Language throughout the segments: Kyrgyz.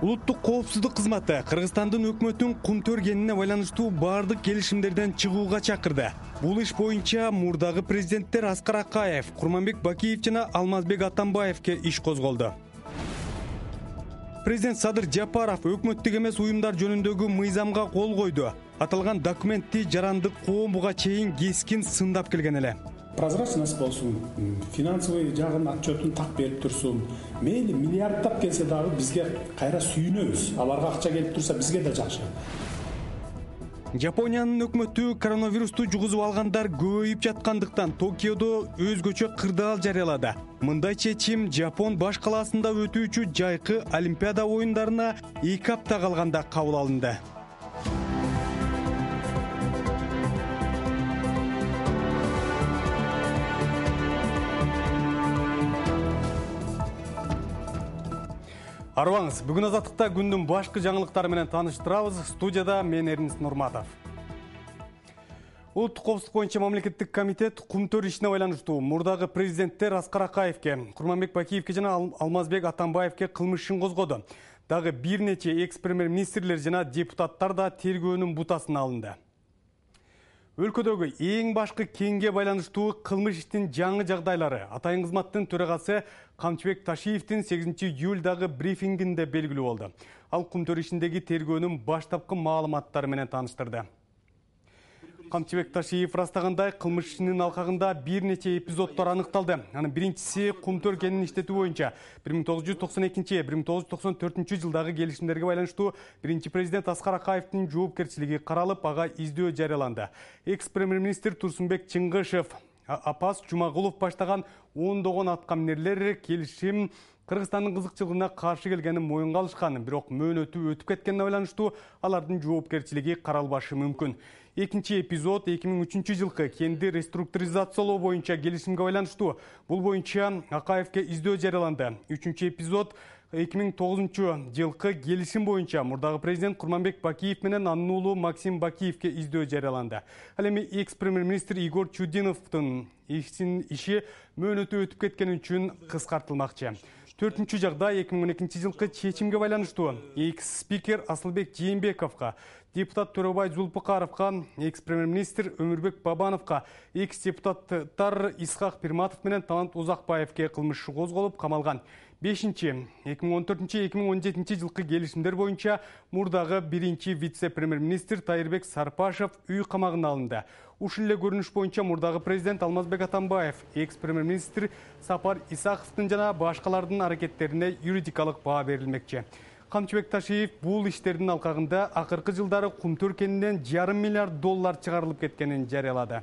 Улуттук коопсуздук кызматы Кыргызстандын өкмөтүн кумтөр кенине байланыштуу бардык келишимдерден чыгууга чакырды. Бул иш боюнча мурдагы президенттер Аскар Акаев, Курманбек Бакиев жана Алмазбек Атамбаевке иш козголду. Президент Садыр Жапаров өкмөттүк эмес уюмдар жөнүндөгү мыйзамга кол койду. Аталган документти жарандык коом буга чейин кескин сындап келген эле. Прозрачность болсун, финансовый жагын отчетун так берип турсун. Мейли миллиарддап келсе дагы бизге кайра сүйүнөбүз. Аларга акча келип турса бизге да жакшы. Жапониянын өкмөтү коронавирусту жугузуп алгандар көбөйүп жаткандыктан Токиодо өзгөчө кырдаал жарыялады. Мындай чечим Жапон баш калаасында өтүүчү жайкы Олимпиада оюндарына 2 апта калганда кабыл алынды. Арыбаңыз, бүгүн азаттыкта күндүн башкы жаңылыктары менен тааныштырабыз. Студияда мен Эрнис Нурматов. Улуттук коопсуздук боюнча мамлекеттик комитет кумтөр ишине байланыштуу мурдагы президенттер Аскар Акаевке, Курманбек Бакиевке жана Алмазбек Атамбаевке кылмыш ишин козгоду. Дагы бир нече экс-премьер-министрлер жана депутаттар да тергөөнүн бутасына алынды. Өлкөдөгү эң башкы кеңге байланыштуу кылмыш иштин жаңы жагдайлары Атайын кызматтын төрагасы Камчыбек Ташиевдин 8 июлдагы брифингинде белгилүү болду. Ал кумтөр ишиндеги тергөөнүн баштапкы маалыматтары менен тааныштырды. Камчыбек Ташиев ырастагандай, кылмыш ишинин алкагында бир нече эпизоддор аныкталды. Анын биринчиси кумтөр кенин иштетүү боюнча 1992-1994 жылдагы келишимдерге байланыштуу биринчи президент Аскар Акаевдин жоопкерчилиги каралып, ага издөө жарыяланды. Экс-премьер-министр Турсунбек Чыңгышев, Апас Жумагулов баштаган ондогон аткаминерлер келишим Кыргызстандын кызыкчылыгына каршы келгенин моюнга алышкан, бирок мөөнөтү өтүп кеткенине байланыштуу алардын жоопкерчилиги каралбашы мүмкүн. Экинчи эпизод 2003 жылкы кенди реструктуризациялоо боюнча келишимге байланыштуу. Бул боюнча Акаевке издөө жарыяланды. Үчүнчү эпизод 2009 жылкы келишим боюнча мурдагы президент Курманбек Бакиев менен анын уулу Максим Бакиевке издөө жарыяланды. Ал эми экс-премьер-министр Игорь Чудиновдун иши мөөнөтү өтүп кеткени үчүн кыскартылмакчы. Төртүнчү жагдай 2012 жылкы чечимге байланыштуу. Экс-спикер Асылбек Жээнбековго, депутат Төрөбай Зулпукаровго, экс-премьер-министр Өмүрбек Бабановго, экс-депутаттар Исхак Пирматов менен Талант Узакбаевке кылмыш иши козголуп камалган. 2014-2017 жылкы келишимдер боюнча мурдагы биринчи вице-премьер-министр Тайырбек Сарпашев үй камагына алынды. Ушул эле көрүнүш боюнча мурдагы президент Алмазбек Атамбаев, экс-премьер-министр Сапар Исаковдун жана башкалардын аракеттерине юридикалык баа берилмекчи. Камчыбек Ташиев бул иштердин алкагында акыркы жылдары кумтөр кенинен $500 миллиард чыгарылып кеткенин жарыялады.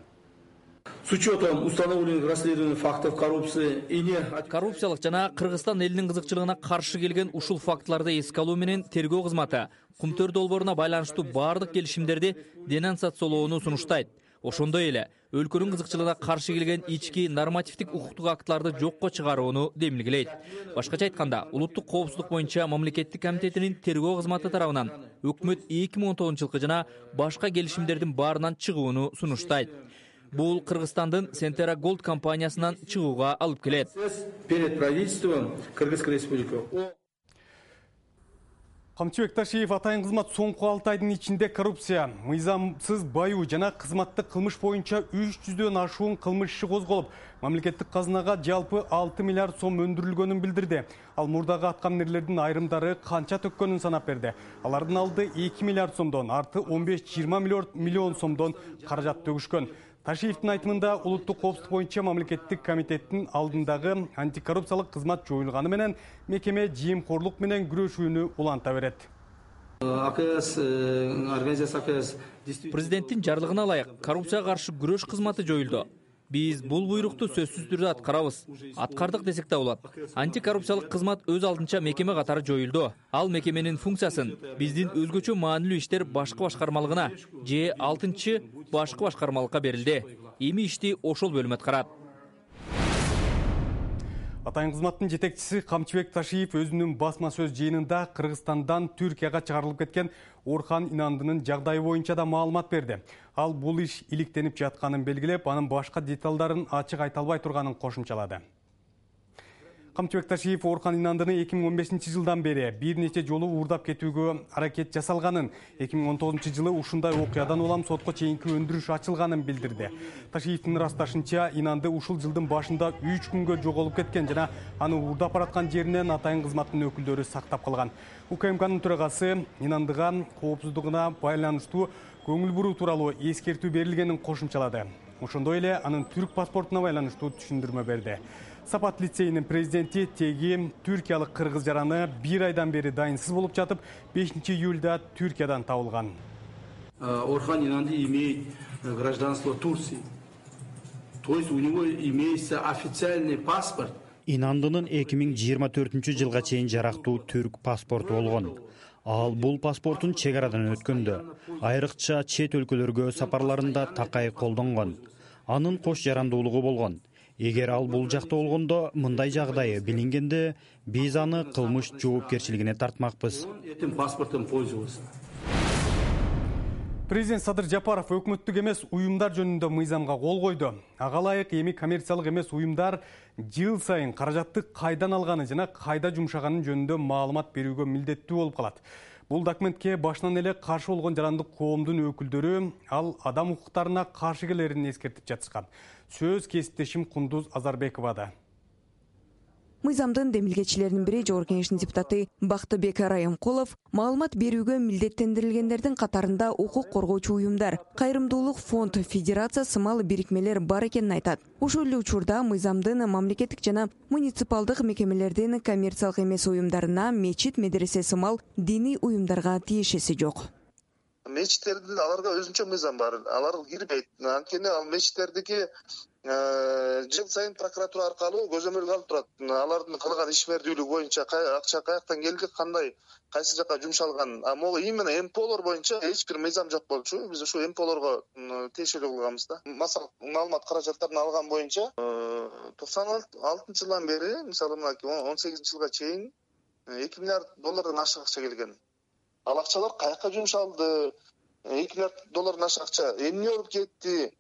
С учетом установленных расследований фактов коррупции и коррупциялык жана Кыргызстан элинин кызыкчылыгына каршы келген ушул фактыларды эске алуу менен тергөө кызматы кумтөр долборуна байланыштуу бардык келишимдерди денонсациялоону сунуштайт. Ошондой эле өлкөнүн кызыкчылыгына каршы келген ички нормативдик укуктук актыларды жокко чыгарууну демилгелейт. Башкача айтканда, улуттук коопсуздук боюнча мамлекеттик комитетинин тергөө кызматы тарабынан өкмөт 2019 жылкы жана башка келишимдердин баарынан чыгууну сунуштайт. Бул Кыргызстандын Сентера Голд компаниясынан чыгууга алып келет. Перед правительством Кыргызской республики. Камчыбек Ташиев Атайын кызмат соңку 6 айдын ичинде коррупция, мыйзамсыз баюу жана кызматтык кылмыш боюнча 300дөн ашуун кылмыш иши козголуп, мамлекеттик казынага жалпы 6 миллиард сом өндүрүлгөнүн билдирди. Ал мурдагы аткаминерлердин айрымдары канча төккөнүн санап берди. Алардын алды 2 миллиард сомдон, арты 15-20 миллион сомдон каражат төгүшкөн. Ташиевдин айтымында улуттук коопсуздук боюнча мамлекеттик комитеттин алдындагы антикоррупциялык кызмат жоюлганы менен мекеме жемкорлук менен күрөшүүнү уланта берет. Президенттин жарлыгына ылайык коррупцияга каршы күрөш кызматы жоюлду. Биз бул буйрукту сөзсүз түрдө аткарабыз. Аткардык десек да болот. Антикоррупциялык кызмат өз алдынча мекеме катары жоюлду. Ал мекеменин функциясын биздин өзгөчө маанилүү иштер башкы башкармалыгына же 6-чы башкы башкармалыкка берилди. Эми ишти ошол бөлүм аткарат. Атайын кызматтын жетекчиси Камчыбек Ташиев өзүнүн басма сөз жыйынында Кыргызстандан Түркияга чыгарылып кеткен Орхан Инандынын жагдайы боюнча да маалымат берди. Ал бул иш иликтенип жатканын белгилеп, анын башка деталдарын ачык айта албай турганын кошумчалады. Камчыбек Ташиев Орхан Инандыны 2015-жылдан бери бир нече жолу уурдап кетүүгө аракет жасалганын, 2019-жылы ушундай окуядан улам сотко чейинки өндүрүш ачылганын билдирди. Ташиевдин ырасташынча, Инанды ушул жылдын башында 3 күнгө жоголуп кеткен жана аны уурдап бараткан жеринен атайын кызматтын өкүлдөрү сактап калган. УКМКнын төрагасы Инандыга коопсуздугуна байланыштуу көңүл буруу тууралуу эскертүү берилгенин кошумчалады. Ошондой эле анын түрк паспортуна байланыштуу түшүндүрмө берди. Сапат лицейинин президенти теги түркиялык кыргыз жараны 1 айдан бери дайынсыз болуп жатып, 5-июлда Түркиядан табылган. Орхан Инанды имеет гражданство Турции. То есть у него имеется официальный паспорт. Инандынын 2024-жылга чейин жарактуу түрк паспорту болгон. Ал бул паспортун чек арадан өткөндө, айрыкча чет өлкөлөргө сапарларында такай колдонгон. Анын кош жарандуулугу болгон. Эгер ал бул жакта болгондо, мындай жагдайы билингенде, биз аны кылмыш жоопкерчилигине тартмакпыз. Этим паспортом пользовался. Президент Садыр Жапаров өкмөттүк эмес уюмдар жөнүндө мыйзамга кол койду. Ага ылайык эми коммерциялык эмес уюмдар жыл сайын каражатты кайдан алганы жана кайда жумшаганын жөнүндө маалымат берүүгө милдеттүү болуп калат. Бул документке башынан эле каршы болгон жарандык коомдун өкүлдөрү ал адам укуктарына каршы келерин эскертип жатышкан. Сөз кесиптешим Кундуз Азарбековада. Мыйзамдын демилгечилеринин бири Жогорку Кеңештин депутаты Бактыбек Райымкулов маалымат берүүгө милдеттендирилгендердин катарында укук коргоочу уюмдар, кайрымдуулук фонд, федерация сымал бирикмелер бар экенин айтат. Ушул эле учурда мыйзамдын мамлекеттик жана муниципалдык мекемелердин коммерциялык эмес уюмдарына мечит, медресе сымал диний уюмдарга тиешеси жок. Мечиттердин аларга өзүнчө мыйзам бар. Алар кирбейт. Анткени ал мечиттердики жыл сайын прокуратура аркылуу көзөмөлгө алып турат. Алардын кылган ишмердүүлүгү боюнча акча каяктан келди, кандай, кайсы жака жумшалган. Могу именно МПОлор боюнча эч бир мыйзам жок болчу. Биз ушу МПОлорго тиешелүү кылганбыз да. Масал маалымат каражаттарын алган боюнча 96-жылдан бери, мисалы мына 18-жылга чейин 2 миллиард доллардан ашык акча келген. Ал акчалар каяка жумшалды? 2 миллиард доллардан ашык акча эмне болуп кетти?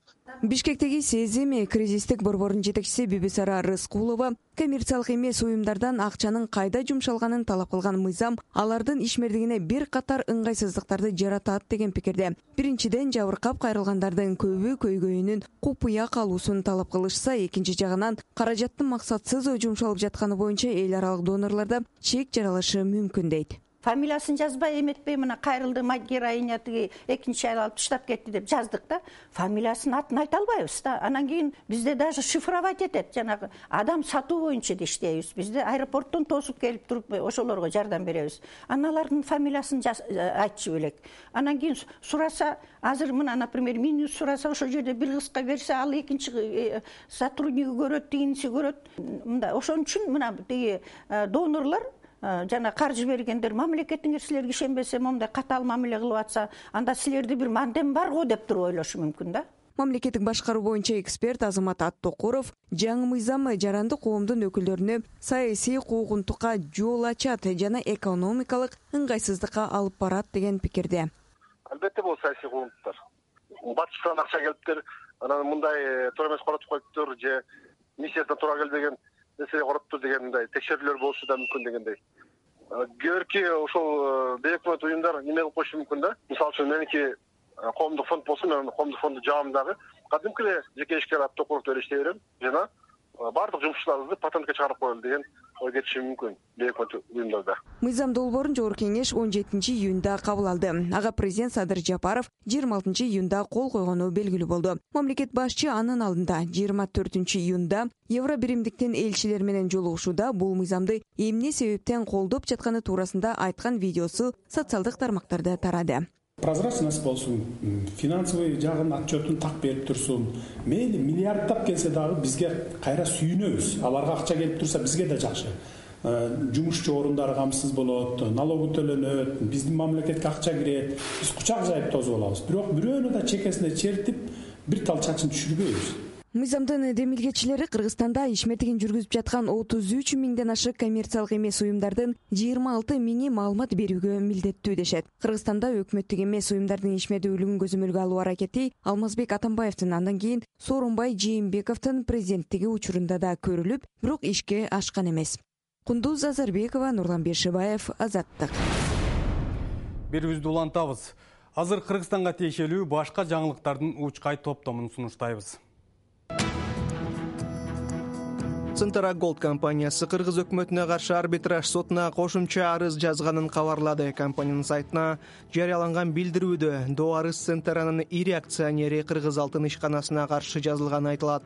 Бишкектеги Сезим кризистик борборунун жетекчиси Бибисара Рыскулова коммерциялык эмес уюмдардан акчанын кайда жумшалганын талап кылган мыйзам алардын ишмердигине бир катар ыңгайсыздыктарды жаратат деген пикирде. Биринчиден, жабыркап кайрылгандардын көбү көйгөйүнүн купуя калуусун талап кылышса, экинчи жагынан каражаттын максатсыз жумшалып жатканы боюнча эл аралык донорлордо чек жаралышы мүмкүн дейт. Фамилиясын жазбай эметпей, мына кайрылды героиня тиги экинчи айыл алып таштап кетти деп жаздык да. Фамилиясын атын айта албайбыз да. Анан кийин бизде даже шифровать этет, жанагы адам сатуу боюнча да иштейбиз. Бизде аэропорттон тосуп келип туруп ошолорго жардам беребиз. Аналардын фамилиясын айтчу белек. Анан кийин сураса, азыр мына, например, мени сураса, ошол жерде бир кызга берсе, ал экинчи сотрудниги көрөт, тигинси көрөт. Мында ошон үчүн мына тиги донорлор жана каржы бергендер мамлекеттин кишилерге ишенбесе, момундай катаал мамиле кылып атса, анда силерде бир мандем бар го деп туруп ойлошу мүмкүн да. Мамлекеттик башкаруу боюнча эксперт Азамат Аттокуров жаңы мыйзам жарандык коомдун өкүлдөрүнө саясий куугунтукка жол ачат жана экономикалык ыңгайсыздыкка алып барат деген пикирде. Албетте бул саясий куугунтуктар. Батыштан акча келиптир, анан мындай туура эмес коротуп коюптур же миссиясына туура келбеген нерсе короптур деген мындай текшерүүлөр болушу да мүмкүн дегендей. Көрки ошол бейөкмөт уюмдар неме кылып коюшу мүмкүн да. Мисалы үчүн меники коомдук фонд болсун, мен коомдук фонду жабымдагы кадимки эле жеке ишкер Аттокуровду эле иштей берем жана баардык жумушчуларыбызды патентке чыгарып коелу деген ой кетиши мүмкүн бейөкмөт уюмдарда. Мыйзам долбоорун Жогорку Кеңеш 17-июнда кабыл алды. Ага президент Садыр Жапаров 26-июнда кол койгону белгилүү болду. Мамлекет башчы анын алдында 24-июнда Евро биримдиктин элчилери менен жолугушууда бул мыйзамды эмне себептен колдоп жатканы туурасында айткан видеосу социалдык тармактарда тарады. Прозрачность болсун, финансовый жагын отчетун так берип турсун. Мейли миллиарддап келсе дагы бизге кайра сүйүнөбүз. Аларга акча келип турса бизге да жакшы. Жумушчу орундары камсыз болот, налогу төлөнөт, биздин мамлекетке акча кирет. Биз кучак жайып тосуп алабыз. Бирок бирөөнү да чекесине чертип, бир тал чачын түшүрбөйбүз. Мыйзамдын демилгечилери Кыргызстанда ишмердигин жүргүзүп жаткан 33 миңден ашык коммерциялык эмес уюмдардын 26 миңи маалымат берүүгө милдеттүү дешет. Кыргызстанда өкмөттүк эмес уюмдардын ишмердүүлүгүн көзөмөлгө алуу аракети Алмазбек Атамбаевдин андан кийин Сооронбай Жээнбековдун президенттиги учурунда да көрүлүп, бирок ишке ашкан эмес. Кундуз Азарбекова, Нурлан Бешибаев, Азаттык. Берүүбүздү улантабыз. Азыр Кыргызстанга тиешелүү башка жаңылыктардын учкай топтомун сунуштайбыз. Центра Голд компаниясы Кыргыз өкмөтүнө каршы арбитраж сотуна кошумча арыз жазганын кабарлады. Компаниянын сайтына жарыяланган билдирүүдө до арыз Центранын ири акционери Кыргыз алтын ишканасына каршы жазылганы айтылат.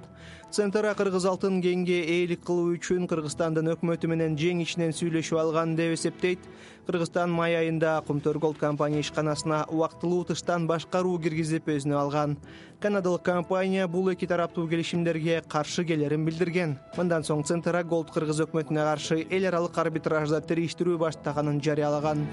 Центра Кыргыз алтын кеңге ээлик кылуу үчүн Кыргызстандын өкмөтү менен жең ичинен сүйлөшүп алган деп эсептейт. Кыргызстан май айында Кумтөр Голд компания ишканасына убактылуу тыштан башкаруу киргизип өзүнө алган. Канадалык компания бул эки тараптуу келишимдерге каршы келерин билдирген. Мындан соң Центра Голд Кыргыз өкмөтүнө каршы эл аралык арбитражда териштирүү баштаганын жарыялаган.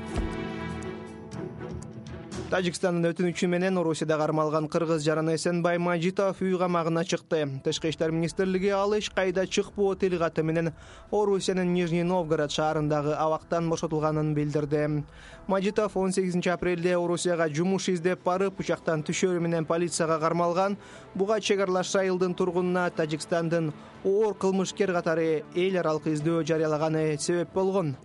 Тажикстандын өтүнүчү менен Орусияда кармалган кыргыз жараны Эсенбай Мажитов үй камагына чыкты. Тышкы иштер министрлиги ал эч кайда чыкпоо тил каты менен Орусиянын Нижний Новгород шаарындагы абактан бошотулганын билдирди. Мажитов 18 апрелде Орусияга жумуш издеп барып, учактан түшөрү менен полицияга кармалган. Буга чек аралаш айылдын тургунуна Тажикстандын оор кылмышкер катары эл аралык издөө жарыялаганы себеп болгон.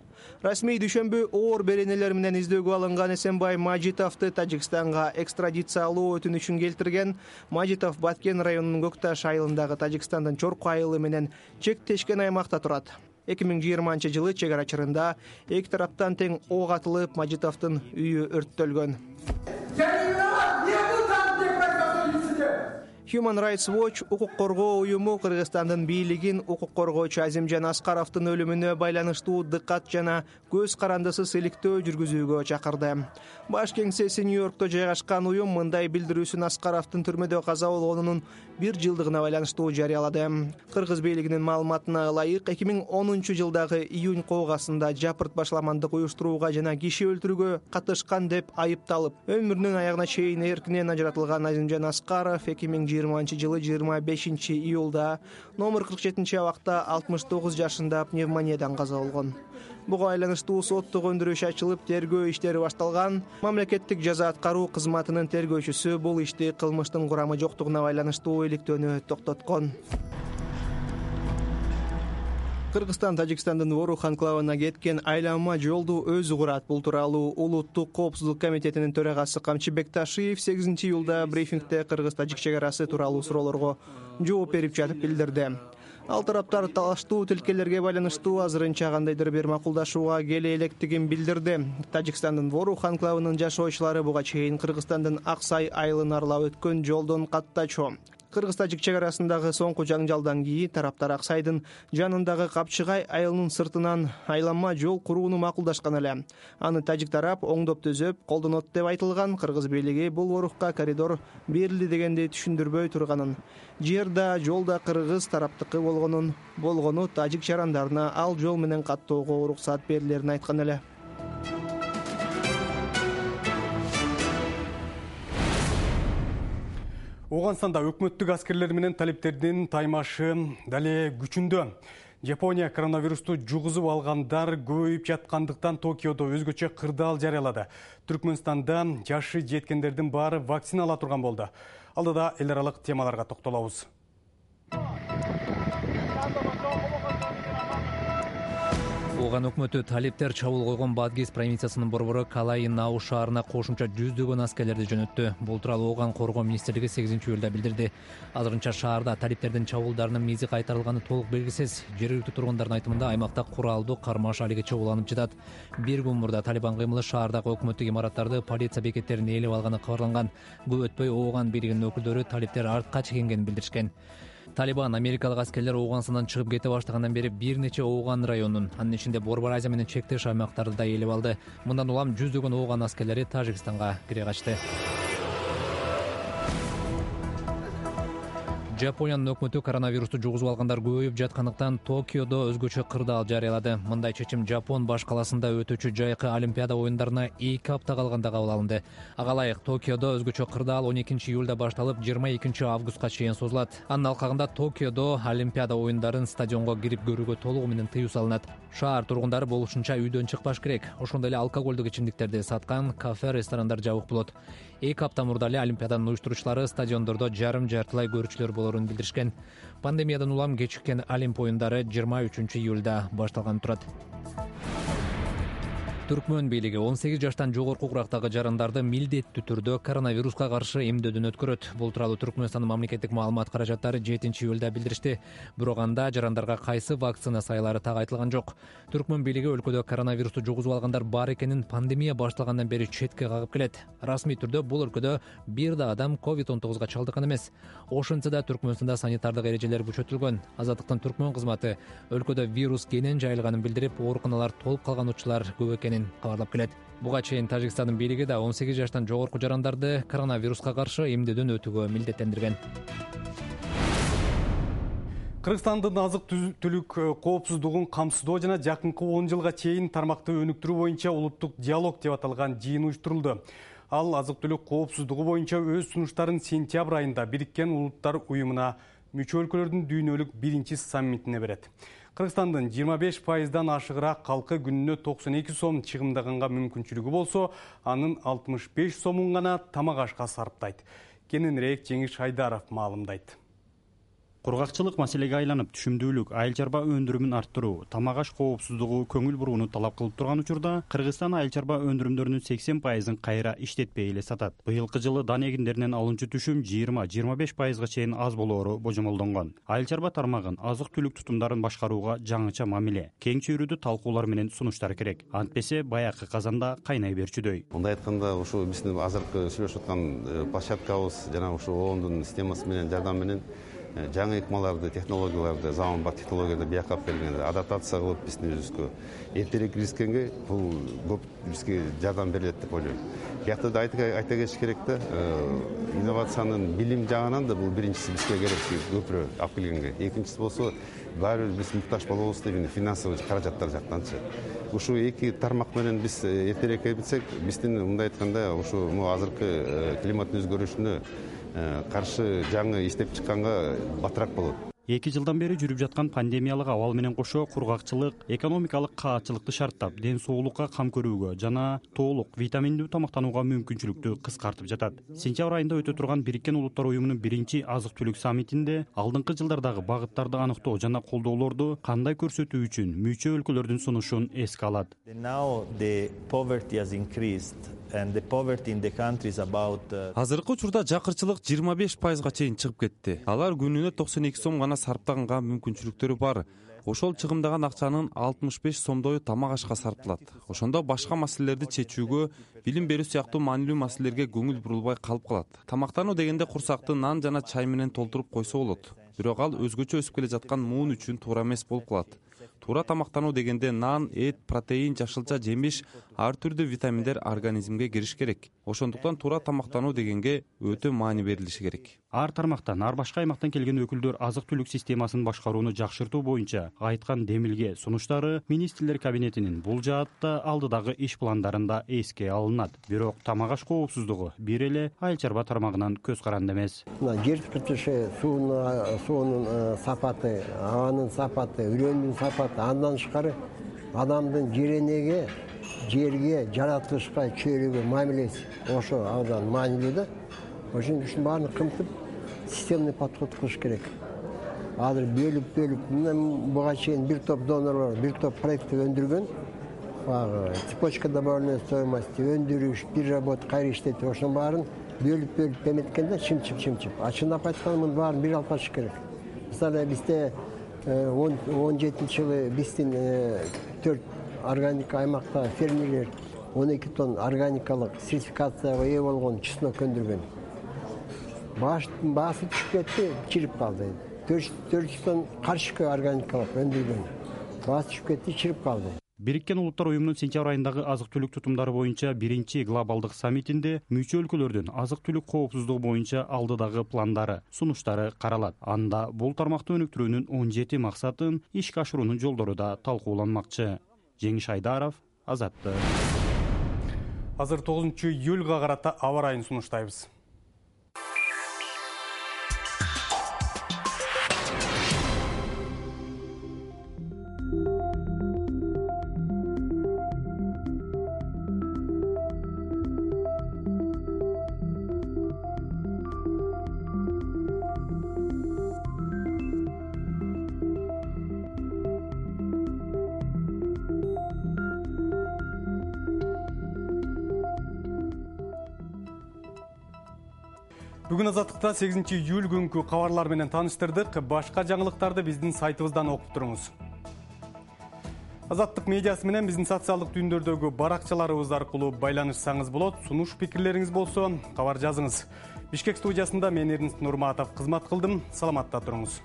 Расмий дүйшөмбү оор беренелер менен издөөгө алынган Эсенбай Мажитовду Тажикстанга экстрадициялоо өтүнүчүн келтирген. Мажитов Баткен районунун Көкташ айылындагы Тажикстандын Чорку айылы менен чектешкен аймакта турат. 2020-жылы чек ара чырында эки тараптан тең ок атылып, Мажитовдун үйү өрттөлгөн. Human Rights Watch укук коргоо уюму Кыргызстандын бийлигин укук коргоочу Азимжан Аскаровдун өлүмүнө байланыштуу дыккат жана көз карандысыз иликтөө жүргүзүүгө чакырды. Баш кеңсеси Нью-Йоркто жайгашкан уюм мындай билдирүүсүн Аскаровдун түрмөдө каза болгонунун 1 жылдыгына байланыштуу жарыялады. Кыргыз бийлигинин маалыматына ылайык 2010-жылдагы июнь коогасында жапырт башаламандык уюштурууга жана киши өлтүрүүгө катышкан деп айыпталып, өмүрүнүн аягына чейин эркинен ажыратылган Азимжан Аскаров 2020-жылы 25 июлда номер 47 абакта 69 жашында пневмониядан каза болгон. Буга байланыштуу соттук өндүрүш ачылып, тергөө иштери башталган. Мамлекеттик жаза аткаруу кызматынын тергөөчүсү бул ишти кылмыштын курамы жоктугуна байланыштуу иликтөөнү токтоткон. Кыргызстан Тажикстандын Ворух анклавына кеткен айланма жолду өзү курат. Бул тууралуу Улуттук коопсуздук комитетинин төрагасы Камчыбек Ташиев 8 июлда брифингде Кыргыз-Тажик чек арасы тууралуу суроолорго жооп берип жатып билдирди. Ал тараптар талаштуу тилкелерге байланыштуу азырынча кандайдыр бир макулдашууга келе электигин билдирди. Тажикстандын Ворух анклавынын жашоочулары буга чейин Кыргызстандын Аксай айылын аралап өткөн жолдон каттачу. Кыргыз-Тажик чек арасындагы соңку жаңжалдан кийин тараптар Аксайдын жанындагы Капчыгай айылынын сыртынан айланма жол курууну макулдашкан эле. Аны тажик тарап оңдоп төзөп колдонот деп айтылган. Кыргыз бийлиги бул Орухка коридор берилди дегенди түшүндүрбөй турганын, жер да жол да кыргыз тараптыкы болгону тажик жарандарына ал жол менен каттоого уруксат берилерин айткан эле. Оғанстанда өкмөттүк аскерлер менен талиптердин таймашы дале күчүндө. Япония коронавирусту жугузуп алгандар көбөйүп жаткандыктан Токиодо өзгөчө кырдаал жарыялады. Түркмөнстанда жашы жеткендердин баары вакцина ала турган болду. Алдыда эл аралык темаларга токтолобуз. Оған өкмөтү талиптер чабуул койгон Бадгис провинциясынын борбору Калай Нау шаарына кошумча 100 аскерлерди жөнөттү. Бул тууралуу Оған коргоо министрлиги 8 июлда билдирди. Азырынча шаарда талиптердин чабуулдарынын мизи кайтарылганы толук белгисиз. Жергиликтүү тургундардын айтымында аймакта куралдуу кармаш алиги чабууланып жатат. Bir күн мурда Талибан кыймылы шаардагы өкмөттүк имараттарды, полиция бекеттерин ээлеп алганы кабарланган. Көп өтпөй Оған бийлигинин өкүлдөрү талиптер артка чегингенин билдиришкен. Талибан америкалык аскерлер Оғанстандан чыгып кете баштагандан бери бир нече Оған районун, анын ичинде Борбор Азия менен чектеш аймактарды да ээлеп алды. Мындан улам 100 Оған аскерлери Тажикстанга кире качты. Жапониянын өкмөтү коронавирусту жугузуп алгандар көбөйүп жаткандыктан Токиодо өзгөчө кырдаал жарыялады. Мындай чечим Жапон баш каласында өтүүчү жайкы Олимпиада оюндарына 2 апта калганда кабыл алынды. Ага ылайык Токиодо өзгөчө кырдаал 12 июлда башталып 22 августка чейин созулат. Анын алкагында Токиодо Олимпиада оюндарын стадионго кирип көрүүгө толугу менен тыюу салынат. Шаар тургундары болушунча үйдөн чыкпаш керек. Ошондой эле алкоголдук ичимдиктерди саткан кафе, ресторандар жабык болот. 2 апта мурда эле Олимпиаданын уюштуруучулары стадиондордо жарым-жартылай көрүүчүлөр болорун билдиришкен. Пандемиядан улам кечиккен Олимп оюндары 23 июлда башталганы турат. Түркмөн бийлиги 18 жаштан жогорку курактагы жарандарды милдеттүү түрдө коронавируска каршы эмдөөдөн өткөрөт. Бул тууралуу Түркмөнстандын мамлекеттик маалымат каражаттары 7 июлда билдиришти. Бирок анда жарандарга кайсы вакцина сайылары так айтылган жок. Түркмөн бийлиги өлкөдө коронавирусту жугузуп алгандар бар экенин пандемия башталгандан бери четке кагып келет. Расмий түрдө бул өлкөдө бир да адам COVID-19 чалдыккан эмес. Ошентсе да Түркмөнстанда санитардык эрежелер күчөтүлгөн. Азаттыктын Түркмөн кызматы өлкөдө вирус кенен жайылганын билдирип, ооруканалар толуп калган учурлар көп экенин кабарлап келет. Буга чейин Тажикстандын бийлиги да 18 жаштан жогорку жарандарды коронавируска каршы эмдөөдөн өтүүгө милдеттендирген. Кыргызстандын азык-түлүк коопсуздугун камсыздоо жана жакынкы 10 жылга чейин тармакты өнүктүрүү боюнча улуттук диалог деп аталган жыйын уюштурулду. Ал азык-түлүк коопсуздугу боюнча өз сунуштарын сентябрь айында Бириккен Улуттар уюмуна мүчө өлкөлөрдүн дүйнөлүк 1-чи саммитине берет. Кыргызстандын 25%дан ашыгыраак калкы күнүнө 92 сом чыгымдаганга мүмкүнчүлүгү болсо, анын 65 сомун гана тамак ашка сарптайт. Кененирээк Жеңиш Айдаров маалымдайт. Кургакчылык маселеге айланып, түшүмдүүлүк, айыл чарба өндүрүмүн арттыруу, тамак аш коопсуздугу көңүл бурууну талап кылып турган учурда, Кыргызстан айыл чарба өндүрүмдөрүнүн 80%ын кайра иштетпей эле сатат. Быйылкы жылы дан эгиндеринен алынчу түшүм 20-25%га чейин аз болоору божомолдонгон. Айыл чарба тармагын азык-түлүк тутумдарын башкарууга жаңыча мамиле, кең чөйрөдүү талкуулар менен сунуштар керек. Антпесе баягы казанда кайнай берчүдөй. Мындай айтканда, ушу биздин азыркы сүйлөшүп аткан площадкабыз жана ушу оондун системасы менен жардам менен жаңы ыкмаларды, технологияларды, заманбап технологияларды бияка алып келгенде адаптация кылып биздин өзүбүзгө эртерээк киришкенге бул көп бизге жардам берет деп ойлойм. Биякта да айта кетиш керек да, инновациянын билим жагынан да бул биринчиси бизге керек көпүрөөк алып келгенге. Экинчиси болсо баары бир биз муктаж болобуз деп финансовый каражаттар жактанчы. Ушу эки тармак менен биз эртерээк кетсек, биздин мындай айтканда ушу азыркы климаттын өзгөрүшүнө каршы жаңы иштеп чыкканга батыраак болот. 2 жылдан бери жүрүп жаткан пандемиялык абал менен кошо кургакчылык, экономикалык каатчылыкты шарттап, ден соолукка кам көрүүгө жана толук витаминдүү тамактанууга мүмкүнчүлүктү кыскартып жатат. Сентябрь айында өтө турган Бириккен Улуттар уюмунун 1-чи азык-түлүк саммитинде алдыңкы жылдардагы багыттарды аныктоо жана колдоолорду кандай көрсөтүү үчүн мүчө өлкөлөрдүн сунушун эске алат. Азыркы учурда жакырчылык 25%га чейин чыгып кетти. Алар күнүнө 92 сом гана сарптаганга мүмкүнчүлүктөрү бар. Ошол чыгымдаган акчанын 65 сомдою тамак ашка сарпталат. Ошондо башка маселелерди чечүүгө, билим берүү сыяктуу маанилүү маселелерге көңүл бурулбай калып калат. Тамактануу дегенде курсакты нан жана чай менен толтуруп койсо болот. Бирок ал өзгөчө өсүп келе жаткан муун үчүн туура эмес болуп калат. Туура тамактануу дегенде нан, эт, протеин, жашылча жемиш, ар түрдүү витаминдер организмге кириш керек. Ошондуктан туура тамактануу дегенге өтө маани берилиши керек. Ар тармактан, ар башка аймактан келген өкүлдөр азык-түлүк системасын башкарууну жакшыртуу боюнча айткан демилге сунуштары министрлер кабинетинин бул жаатта алдыдагы иш пландарында эске алынат. Бирок тамак аш коопсуздугу бир эле айыл чарба тармагынан көз каранды эмес. Жер кыртышы, суунун сапаты, абанын сапаты, үрөндүн сапаты, андан тышкары адамдын жеренеге, жерге, жаратылышка, чөйрөгө мамилеси ошо абдан маанилүү да. Ошон үчүн баарын кымтып системный подход кылыш керек. Азыр бөлүп буга чейин бир топ донорлор, бир топ проекти өндүргөн. Цепочка добавленной стоимости, өндүрүш, переработка, кайра иштетүү, ошонун баарын бөлүп эметкенде чымчып. Чындап айтканда мунун баарын бир алып калыш керек. Мисалы бизде 17-жылы биздин 4 органика аймакта фермерлер 12 тонн органикалык сертификацияга ээ болгон чеснок өндүргөн. Баасы түшүп кетти, чирип калды. 400 тонн карышкы органикалык өндүргөн. Баасы түшүп кетти, чирип калды. Бириккен Улуттар уюмунун сентябрь айындагы азык-түлүк тутумдары боюнча биринчи глобалдык саммитинде мүчө өлкөлөрдүн азык-түлүк коопсуздугу боюнча алдыдагы пландары, сунуштары каралат. Анда бул тармакты өнүктүрүүнүн 17 максатын ишке ашыруунун жолдору да талкууланмакчы. Жеңиш Айдаров, Азаттык. Азыр 9-июлга карата аба ырайын сунуштайбыз. Бүгүн Азаттыкта 8-июль күнкү кабарлар менен тааныштырдык. Башка жаңылыктарды биздин сайтыбыздан окуп туруңуз. Азаттык медиасы менен биздин социалдык түйүндөрдөгү баракчаларыбыз аркылуу байланышсаңыз болот. Сунуш пикирлериңиз болсо кабар жазыңыз. Бишкек студиясында мен Эрнст Нурматов кызмат кылдым. Саламатта туруңуз.